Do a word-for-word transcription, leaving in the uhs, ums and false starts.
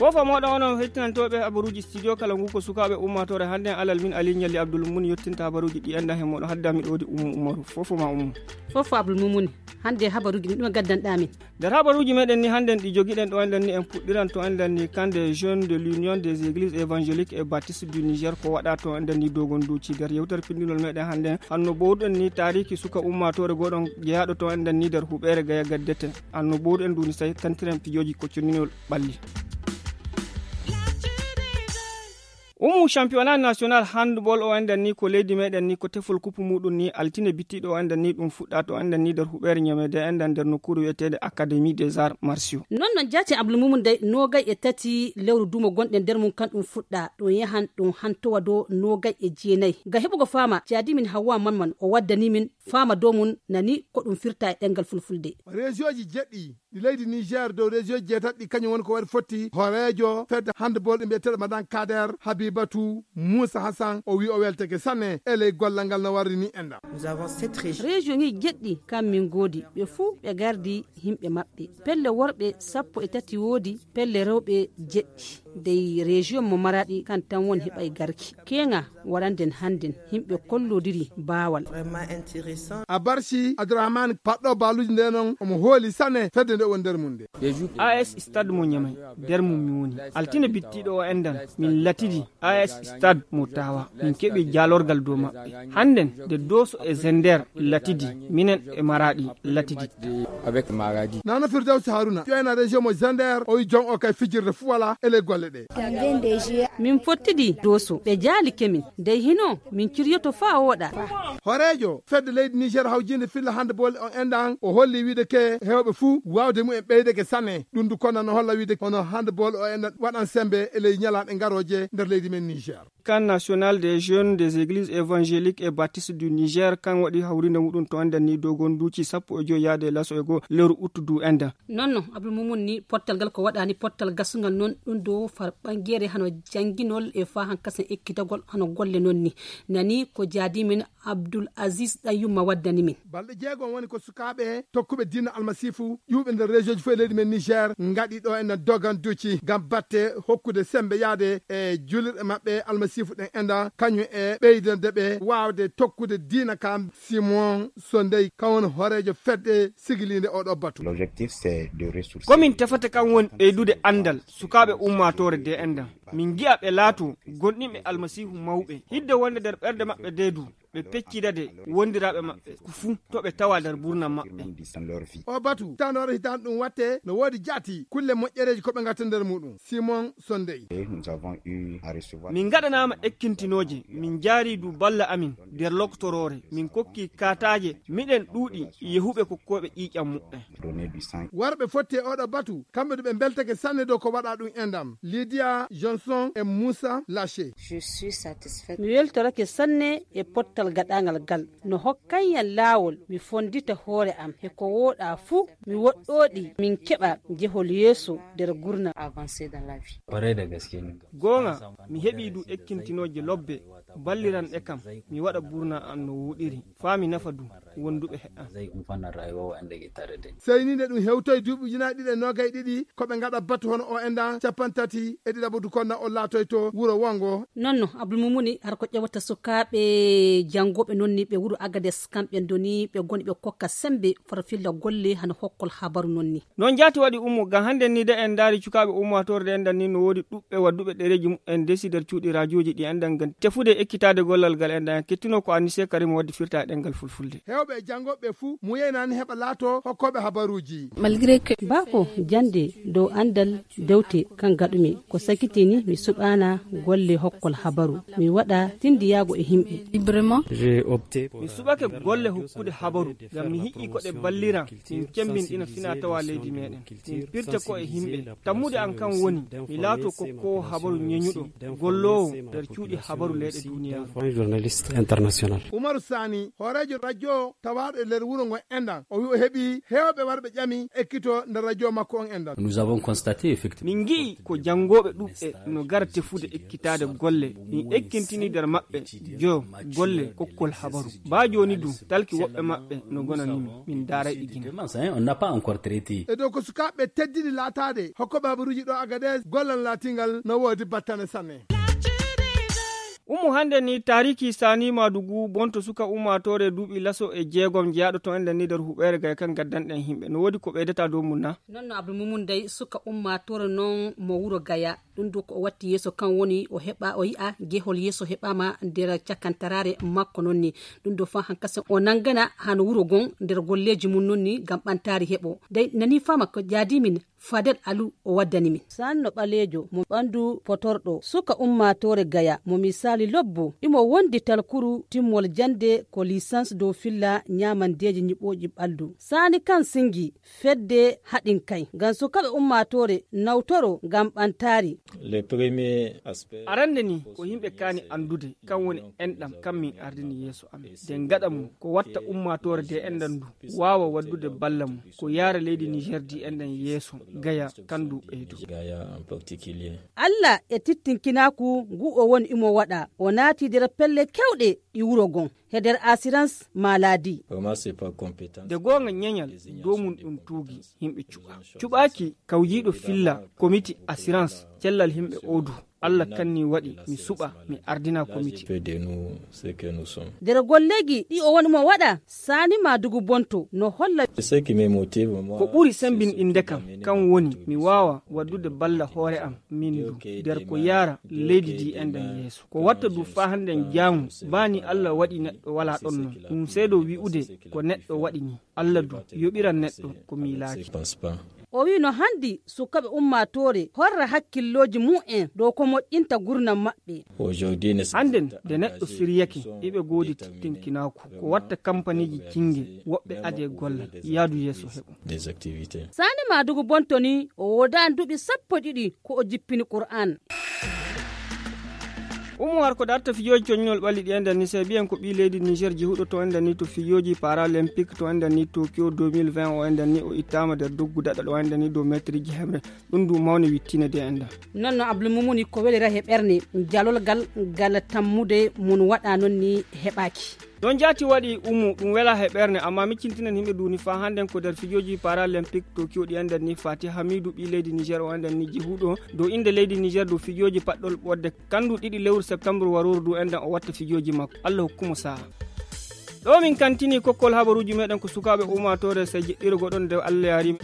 Fof mooɗon onon hettinantooɓe habaruuji studio kala ngu ko sukaaɓe ummaatoore hannde en alal min Ali Ñalli Abdul Mun yottinta habaruuji ɗi enda he mooɗon hadda miɗo woodi Ummu Umaru. Fof ma Ummu. Fof Abdul Mumuni. Hannde habaruuji ɗin ɗum gaddanɗaa min. Nder habaruuji meɗen ni hannden ɗi jogiɗen ɗo enden ni en puɗɗiran to enden ni kan des jeunes de l'Union des Églises Évangéliques et Baptistes du Niger ko waɗa to enden ni dogon duuci nder yewtere pinndinol meɗen hannden hanno bowɗen ni taariki suka ummaatoore goɗon jeyaaɗo to enden ni nder huɓeere gaya gaddete. Anno bowɗen nduni tawi tantiren pijooji kocconinol ɓalli. Umu championnat national handball o enden ni ko leydi meɗen ni ko tefol kupu muɗum ni altine bittiɗo o enden ni ɗum fuɗɗa to enden ni nder huɓeere ñamede enden nder nokkuru wiyetede académie des arts martiaux. Non non jaati abdul mumum day nogay e tati lewru dumo gonɗen nder mum kan ɗum fuɗɗa ɗum yahan ɗum hantowa do nogay e jeenayi. Ngam heɓugo fama jaadi min hawwa manman o waddani min fama do mum nani ko ɗum firta e ɗengal fulfulde. Région ji jeɗɗi ɗi leydi Niger dow région ji jeetati ɗi kañum woni ko waɗi fotti hooreejo fedde handball ɗi mbiyeteeɗo madan kader habibatu moussa hassan o wi o welteke sanne e ley gollal ngal no warri ni enɗam. Région ŋi jeɗɗi kam min goodi ɓe fuu ɓe gardi yimɓe maɓɓe. Pelle worɓe sappo e tati woodi pelle rewɓe jeɗɗi dey région mo maraɗi kan tan woni heɓay garki keŋa. Waranden hannden yimɓe kollodiri baawal. A barci abdourahmane paɗɗo baaluuji nde noon omo hooli sane fedde nde woni nder mum nde. A s stade mo ñamay nder mum mi woni. Altine bittiiɗo o endan min latidi a s stade mo tawa min keɓi jaalorgal dow maɓɓe. Hannden nde dooso e zender latidi minen e maraɗi latidi. Nana firdawsi haruna ƴoyna région mo zender o wi jon o kay fijirde fuu wala e ley golle ɗe. Min fottidi dooso ɓe jaalike min dey hino min kiryoto faa wooɗa. Hooreejo fedde leydi niger hawjinde filla handball o endan o holli wiide ke heewɓe fuu waawde mumen ɓeydeke sane ɗum du konna no holla wiide hono handball o endan waɗan sembe e ley ñalaaɗe ngarooje nder leydi men niger. Kan national des jeunes des églises évangéliques et baptistes du niger kan waɗi hawrinde muɗum to endan ni dogon duuci sappo e joyi yaade e laso e goo lewru uttu du endan. Non non abdul mumun ni pottal gal ko waɗani pottal gasungal non ɗum dow far ɓangere hano janginol e fa han kasen ekkitagol hano golle non ni. Nani ko jaadi min abdul aziz ɗan yumma waddani min. Balɗe jeegom woni ko sukaaɓe tokkuɓe diina almasiifu ƴuuɓe nder région ji fof e leydi men niger ngaɗi ɗo enen dogan duci ngam batte hokkude sembe yaade e julirɗe maɓɓe almasiifu ɗen enɗan kañum e ɓeydande ɓe waawde tokkude diina kam. Simon so ndey kan woni hooreejo fedde sigiliinde oɗo batu. Komin tefata kan woni ɓeydude anndal sukaaɓe ummaatoore de enɗan min ngi'a ɓe laato gonɗinɓe almasiihu mawɓe hidde wonde nder ɓerɗe maɓɓe de du ɓe peccida de wondiraaɓe maɓɓe ko fuu to ɓe tawa nder burna maɓɓe. O batu tanoore hitaan ɗum watte no woodi jaati kulle moƴƴereeji ko ɓe ngatta nder muɗum simon sondey. Min ngaɗanaama ekkintinooje min njaari du balla amin nder loktoroore min kokki kaataaje miɗen ɗuuɗi yehuɓe kokkooɓe ƴiiƴam muɓɓen. Warɓe fotti e oɗo batu kamɓe du ɓe mbeltake sanne dow ko waɗa ɗum endam lidia johnson e moussa laché. Mi weltorake sanne e pottal gaɗangal gal no hokkanyan laawol mi fondita hoore am he ko wooɗa fuu mi woɗɗooɗi min keɓa jehol yeeso nder gurna. Goonga mi heɓi du ekkintinooje lobbe balliranɗe kam mi waɗa burna an no wuuɗiri faa mi nafa du wonduɓe heɗan. Sey ni nde ɗum hewtoy duuɓi ujunaaji ɗiɗi e noogay ɗiɗi ko ɓe ngaɗa batu hono o endan capantati e ɗiɗaɓo du konna o laatoyto wuro wongo. Nonno abdulmumuni har ko ƴewata sukaaɓe janngooɓe non ni ɓe wuro agades kamɓe ndoni ɓe ngoni ɓe kokka semmbe farfilla golle hano hokkol habaru non ni. Noon jaati waɗi ummo ngam hannden ni de en ndaari cukaaɓe ummaatoore de enɗan ni no woodi ɗuɓɓe wadduɓe ɗereeji muɓɓen ndesi nder cuuɗi raajooji ɗi enɗan ngam tefude e ekkitaade gollal ngal enɗan kettinoo ko annise karim waddi firta e ɗemngal fulfulde. Heewɓe e janngooɓe fuu muyaynaani heɓa laatoo hokkooɓe habaruuji. Baako jannde dow anndal dewte kan gaɗumi ko sakitini mi suɓaana golle hokkol habaru mi waɗa tinndiyaago e himɓe. Mi suɓake golle hokkude habaru ngam mi hi'i ko ɗe ballira min cemmbinɗina fina tawa leydi meɗen min pirta ko e himɓe tammude an kan woni mi laato kokkowo habaru ñeñuɗo golloowo nder cuuɗi habaru leyɗe duniyaaru. Umaru sani hooreejo radio tawaaɗo e nder wuro ngo enɗan o wi o heɓi heewɓe warɓe ƴami ekkito nder radio makko on enɗan. Min ngi'i ko janngooɓe ɗuɓɓe no gara tefude ekkitaade golle min ekkintini nder maɓɓe jo golle Kokkol habaru baa jooni du talki woɓɓe maɓɓe no gonani min min daaray ɗi gina. E dow ko sukaaɓe teddini laataade hokkoɓe habaruuji ɗo Agadez gollal laatingal no woodi battane sanne. Ummo hannde ni taariki saani maadugu bonto suka ummaatoore duuɓi laso e jeegom jeyaaɗo to enɗen ni nder huɓeere gaya kan gaddanɗen himɓe no woodi ko ɓeydata dow mum na? Noon no abdul mumun day suka ummaatoore noon mo wuro gaya. Ɗum du ko o watti yeeso kan woni o heɓa o yi'a gehol yeeso heɓaama nder cakantaraare makko noon ni. Ɗum du fa hankase o nanngana hano wuro gon nder golleeji mum noon ni ngam ɓantaari heɓo day nani fama ko jaadi min. Fadel alu o waddani min. Sanno ɓaleejo mo ɓanndu potorɗo suka ummaatoore gaya mo misaali lobbo imo wondi talkuru timmol jannde ko lisans dow filla ñaamandeeji ñiɓooji ɓaldu. Saani kan singi fedde haɗin kay ngam sukaaɓe ummaatoore nawtoro ngam ɓantaari. Arannde ni ko yimɓe kaani anndude kan woni enɗam kan min ardini yeeso amen de ngaɗa mum ko watta ummaatoore de enɗam ndu waawa waddude balla mum ko yaara leydi niger di enɗam yeeso gaya kan ndu ɓeydo. Alla e tittinkinaaku ngu o woni imo waɗa o naati nder pelle kewɗe ɗi wuro gon he nder asirans maladi. De goonga ñeñal dow mum ɗum tuugi yimɓe cuɓa cuɓaaki kawjiiɗo filla komiti asirans cellal yimɓe odu. Alla kanni waɗi mi suɓa mi ardina komiti. Nder golleegi ɗi o woni mo waɗa saani ma dugu bonto no holla. Ko ɓuri sembinɗinde kam kan woni mi waawa waddude balla hoore am min du nder ko yaara leydi ndi enɗen yeeso ko watta du faa hannden jaamu baa ni Alla waɗi neɗɗo walaa ɗon non ɗum seedo wi'ude ko neɗɗo waɗi ni. Alla du yoɓiran neɗɗo ko miilaaki. O wi'i no hanndi sukaaɓe ummaatoore horra hakkillooji mum en dow ko moƴƴinta gurnam maɓɓe. Hannden nde neɗɗo siryake iɓe goodi tittinkinaaku ko watta kampaniiji cinnge woɓɓe adee gollal yaadu yeeso heɓo. Saani maadugu bonto ni o woodaani duuɓi sappo e ɗiɗi ko o jippini qur'aan. Umu har ko darta fijooji coñinol ɓalli ɗi enɗen ni se biyen ko ɓii leydi niger jehuɗo to enɗen ni to fijooji paralympique to enɗen ni tokyo deux mille vingt o enɗen ni o ittaama nder doggu daɗa ɗo enɗen ni dow metriji heɓre. Ɗum du mawne wittine de enɗen. Noon no abdul mumuni ko welira he ɓerne jalol gal gal tammude mum waɗa noon ni heɓaaki. Ɗon jaati waɗi umu ɗum wela he ɓerne amma miccintinen yimɓe duni faa hannden ko nder fijooji paralympique tokyo ɗi enɗen ni fati hamidu ɓii leydi niger o enɗen ni jehuɗo dow innde leydi niger dow fijooji paɗɗol ɓodde. Kanndu ɗiɗi lewru septembre warooru du enɗen o watta fijooji makko. Alla hokkumo sa'a. Ɗo min kantini kokkol habaruuji meɗen ko sukaaɓe ummaatoore sey jeɗɗiro goɗon nde Alla yaarima.